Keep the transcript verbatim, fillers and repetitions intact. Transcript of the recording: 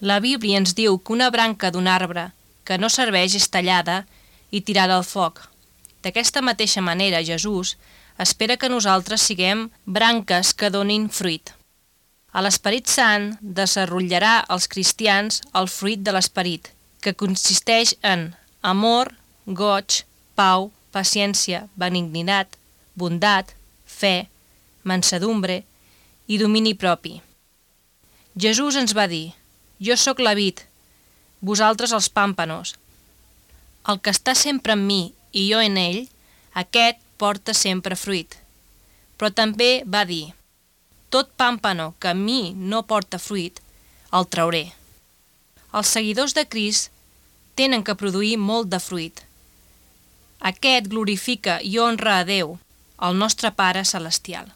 La Bíblia ens diu que una branca d'un arbre que no serveix és tallada i tirada al foc. D'aquesta mateixa manera, Jesús espera que nosaltres siguem branques que donin fruit. A l'Esperit Sant desenrotllarà als cristians el fruit de l'Esperit, que consisteix en amor, goig, pau, paciència, benignitat, bondat, fe, mansedumbre i domini propi. Jesús ens va dir: jo sóc la vid, vosaltres els pàmpanos. El que està sempre en mi i jo en ell, aquest porta sempre fruit. Però també va dir: tot pàmpano que a mi no porta fruit, el trauré. Els seguidors de Crist tenen que produir molt de fruit. Aquest glorifica i honra a Déu, el nostre Pare Celestial.